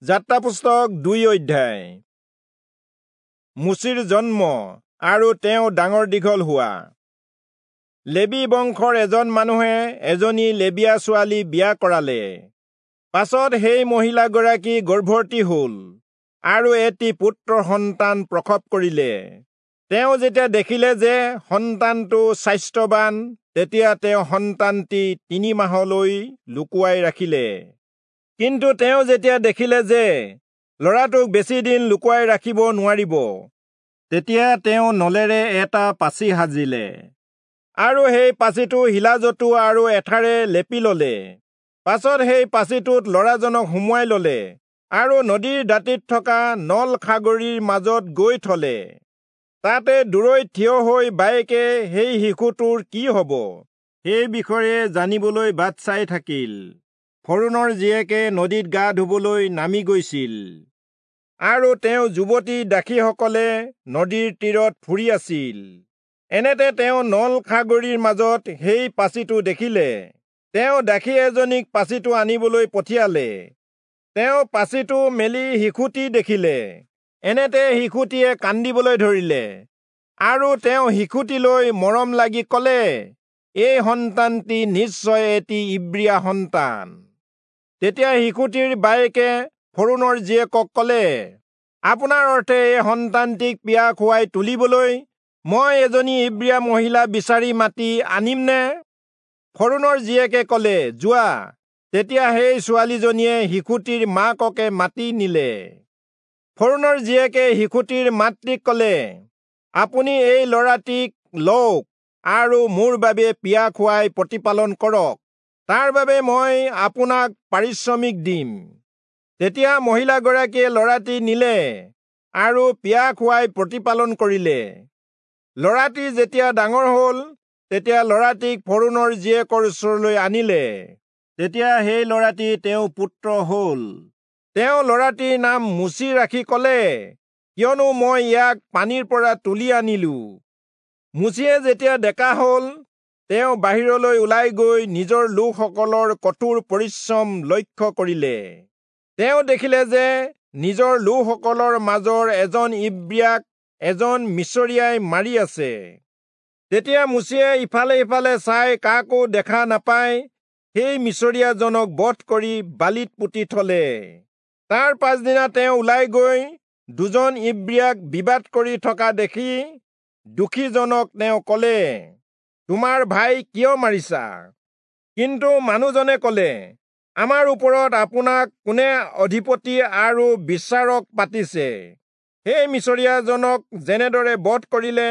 যাত্ৰা পুস্তক 2 অধ্যায়। মোচিৰ জন্ম আৰু তেওঁ ডাঙৰ দীঘল হোৱা। লেবী বংশৰ এজন মানুহে এজনী লেবীয়া ছোৱালী বিয়া কৰালে। পাছত সেই মহিলাগৰাকী গৰ্ভৱতী হ'ল আৰু এটি পুত্ৰ সন্তান প্ৰসৱ কৰিলে। তেওঁ যেতিয়া দেখিলে যে সন্তানটো স্বাস্থ্যৱান, তেতিয়া তেওঁ সন্তানটি 3 মাহলৈ লুকুৱাই ৰাখিলে। কিন্তু তেওঁ যেতিয়া দেখিলে যে ল'ৰাটোক বেছিদিন লুকুৱাই ৰাখিব নোৱাৰিব, তেতিয়া তেওঁ নলেৰে এটা পাচি সাজিলে আৰু সেই পাচিটো শিলাজতু আৰু এঠাৰে লেপি ললে। পাছত সেই পাচিটোত ল'ৰাজনক সুমুৱাই ললে আৰু নদীৰ দাঁতিত থকা নল খাগৰিৰ মাজত গৈ থলে। তাতে দূৰৈত থিয় হৈ বায়েকে সেই শিশুটোৰ কি হ'ব সেই বিষয়ে জানিবলৈ বাট চাই থাকিল। ফৰোণৰ জীয়েকে নদীত গা ধুবলৈ নামি গৈছিল আৰু তেওঁ যুৱতী দাসীসকলে নদীৰ তীৰত ফুৰি আছিল। এনেতে তেওঁ নল খাগৰিৰ মাজত সেই পাচিটো দেখিলে। তেওঁ দাসী এজনীক পাচিটো আনিবলৈ পঠিয়ালে। তেওঁ পাচিটো মেলি শিশুটি দেখিলে। এনেতে শিশুটিয়ে কান্দিবলৈ ধৰিলে আৰু তেওঁ শিশুটিলৈ মৰম লাগি কলে, এই সন্তানটি নিশ্চয় এটি ইব্ৰীয়া সন্তান। তেতিয়া শিশুটিৰ বায়েকে ফৰোণৰ জীয়েকক কলে, আপোনাৰ অৰ্থে এই সন্তানটিক পিয়া খুৱাই তুলিবলৈ মই এজনী ইব্ৰীয়া মহিলা বিচাৰি মাতি আনিমনে? ফৰোণৰ জীয়েকে কলে, যোৱা। তেতিয়া সেই ছোৱালীজনীয়ে শিশুটিৰ মাককে মাতি নিলে। ফৰোণৰ জীয়েকে শিশুটিৰ মাতৃক কলে, আপুনি এই ল'ৰাটিক লওক আৰু মোৰ বাবে পিয়া খুৱাই প্ৰতিপালন কৰক, তাৰ বাবে মই আপোনাক পাৰিশ্ৰমিক দিম। তেতিয়া মহিলাগৰাকীয়ে ল'ৰাটি নিলে আৰু পিয়া খুৱাই প্ৰতিপালন কৰিলে। ল'ৰাটি যেতিয়া ডাঙৰ হ'ল, তেতিয়া ল'ৰাটিক ফৰোণৰ জীয়েকৰ ওচৰলৈ আনিলে। তেতিয়া সেই ল'ৰাটি তেওঁ পুত্ৰ হ'ল। তেওঁ ল'ৰাটিৰ নাম মোচি ৰাখি কলে, কিয়নো মই ইয়াক পানীৰ পৰা তুলি আনিলো। মোচিয়ে যেতিয়া ডেকা হ'ল, তেওঁ বাহিৰলৈ ওলাই গৈ নিজৰ লোকসকলৰ কঠোৰ পৰিশ্ৰম লক্ষ্য কৰিলে। তেওঁ দেখিলে যে নিজৰ লোকসকলৰ মাজৰ এজন ইব্ৰীয়াক এজন মিচৰীয়াই মাৰি আছে। তেতিয়া মোচিয়ে ইফালে সিফালে চাই কাকো দেখা নাপাই সেই মিচৰীয়াজনক বধ কৰি বালিত পুতি থলে। তাৰ পাছদিনা তেওঁ ওলাই গৈ দুজন ইব্ৰীয়াক বিবাদ কৰি থকা দেখি দুখীজনক তেওঁ কলে, তোমাৰ ভাই কিয় মাৰিছা? কিন্তু মানুহজনে কলে, আমাৰ ওপৰত আপোনাক কোনে অধিপতি আৰু বিচাৰক পাতিছে? সেই মিচৰীয়াজনক যেনেদৰে বধ কৰিলে,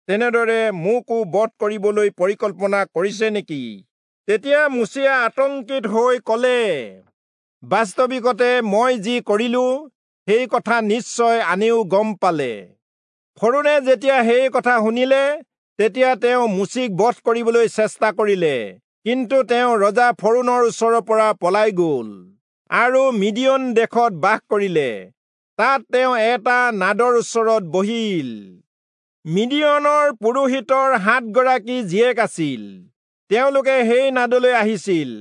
তেনেদৰে মোকো বধ কৰিবলৈ পৰিকল্পনা কৰিছে নেকি? তেতিয়া মোচিয়ে আতংকিত হৈ কলে, বাস্তৱিকতে মই যি কৰিলো সেই কথা নিশ্চয় আনেও গম পালে। ফৰোণে যেতিয়া সেই কথা শুনিলে, তেতিয়া তেওঁ মোচিক বধ কৰিবলৈ চেষ্টা কৰিলে। কিন্তু তেওঁ ৰজা ফৰোণৰ ওচৰৰ পৰা পলাই গল আৰু মিদিয়ন দেশত বাস কৰিলে। তাত তেওঁ এটা নাদৰ ওচৰত বহিল। মিদিয়নৰ পুৰোহিতৰ 7 গৰাকী জীয়েক আছিল। তেওঁলোকে সেই নাদলৈ আহিছিল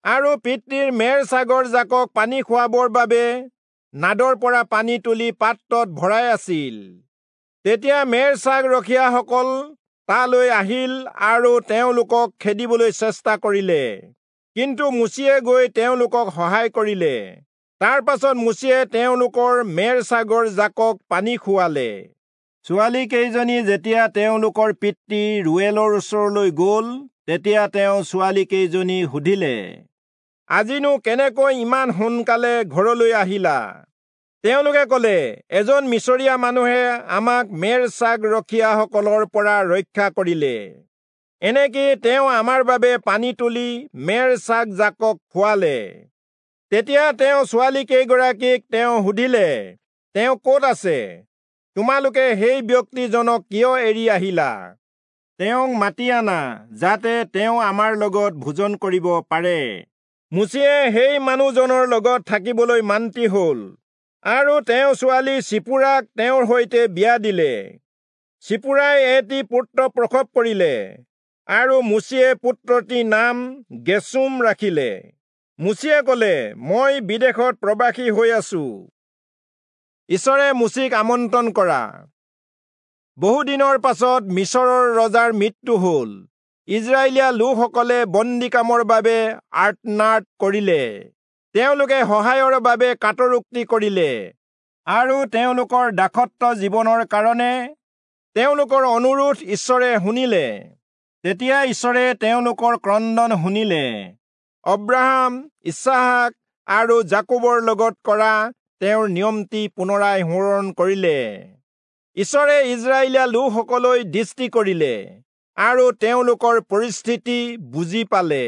আৰু পিতৃৰ মেৰ ছাগৰ জাকক পানী খুৱাবৰ বাবে নাদৰ পৰা পানী তুলি পাত্ৰত ভৰাই আছিল। তেতিয়া মেৰ ছাগ ৰখীয়াসকল তালৈ আহিল আৰু তেওঁলোকক খেদিবলৈ চেষ্টা কৰিলে। কিন্তু মোচিয়ে গৈ তেওঁলোকক সহায় কৰিলে। তাৰ পাছত মোচিয়ে তেওঁলোকৰ মেৰ ছাগৰ জাকক পানী খুৱালে। ছোৱালী কেইজনী যেতিয়া তেওঁলোকৰ পিতৃ ৰুৱেলৰ ওচৰলৈ গল, তেতিয়া তেওঁ ছোৱালী কেইজনী সুধিলে, আজিনো কেনেকৈ ইমান সোনকালে ঘৰলৈ আহিলা? তেওঁলোকে কলে, এজন মিচৰীয়া মানুহে আমাক মেৰ ছাগ ৰখীয়াসকলৰ পৰা ৰক্ষা কৰিলে। এনেকি তেওঁ আমাৰ বাবে পানী তুলি মেৰ ছাগ জাকক খুৱালে। তেতিয়া তেওঁ ছোৱালী কেইগৰাকীক তেওঁ সুধিলে, তেওঁ ক'ত আছে? তোমালোকে সেই ব্যক্তিজনক কিয় এৰি আহিলা? তেওঁক মাতি আনা, যাতে তেওঁ আমাৰ লগত ভোজন কৰিব পাৰে। মোচিয়ে সেই মানুহজনৰ লগত থাকিবলৈ মান্তি হ'ল আৰু তেওঁ ছোৱালী চিপুৰাক তেওঁৰ সৈতে বিয়া দিলে। চিপুৰাই এটি পুত্ৰ প্ৰসৱ কৰিলে আৰু মোচিয়ে পুত্ৰটিৰ নাম গেচোম ৰাখিলে। মোচিয়ে কলে, মই বিদেশত প্ৰবাসী হৈ আছো। ঈশ্বৰে মোচিক আমন্ত্ৰণ কৰা। বহুদিনৰ পাছত মিচৰৰ ৰজাৰ মৃত্যু হ'ল। ইজৰাইলীয়া লোকসকলে বন্দী কামৰ বাবে আৰ্তনাদ কৰিলে। তেওঁলোকে সহায়ৰ বাবে কাতৰোক্তি কৰিলে আৰু তেওঁলোকৰ দাসত্ব জীৱনৰ কাৰণে তেওঁলোকৰ অনুৰোধ ঈশ্বৰে শুনিলে। তেতিয়া ঈশ্বৰে তেওঁলোকৰ ক্ৰন্দন শুনিলে। অব্ৰাহাম, ইচহাক আৰু যাকোবৰ লগত কৰা তেওঁৰ নিয়মটি পুনৰাই সোঁৱৰণ কৰিলে। ঈশ্বৰে ইজৰাইলীয়া লোকসকললৈ দৃষ্টি কৰিলে আৰু তেওঁলোকৰ পৰিস্থিতি বুজি পালে।